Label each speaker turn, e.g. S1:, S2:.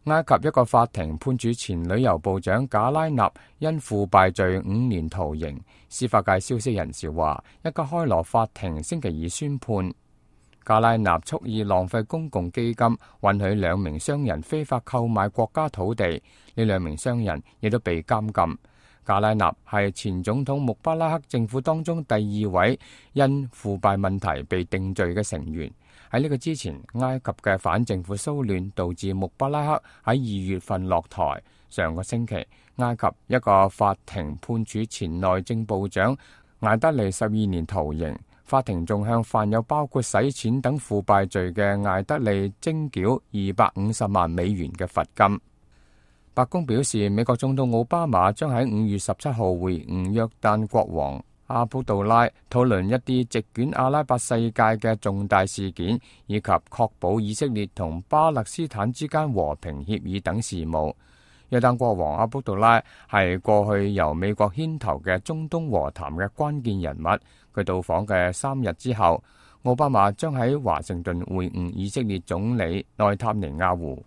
S1: 埃及一個法庭判處前旅遊部長賈拉納因腐敗罪5年徒刑。司法界消息人士話，一家開羅法庭星期二宣判，賈拉納蓄意浪費公共基金，允許2名商人非法購買國家土地，呢2名商人亦都被監禁。賈拉納係前總統穆巴拉克政府當中第2位因腐敗問題被定罪嘅成員。喺呢個之前，埃及嘅反政府騷亂導致穆巴拉克喺2月份落台。上個星期，埃及一個法庭判處前內政部長艾德利12年徒刑。法庭仲向犯有包括洗錢等腐敗罪嘅艾德利徵繳250萬美元嘅罰金。白宮表示，美國總統奧巴馬將喺5月17號會晤約旦國王阿卜杜拉，討論一啲席捲阿拉伯世界嘅重大事件，以及確保以色列同巴勒斯坦之間和平協議等事務。約旦國王阿卜杜拉係過去由美國牽頭嘅中東和談嘅關鍵人物。佢到訪嘅3日之後，奧巴馬將喺華盛頓會晤以色列總理內塔尼亞胡。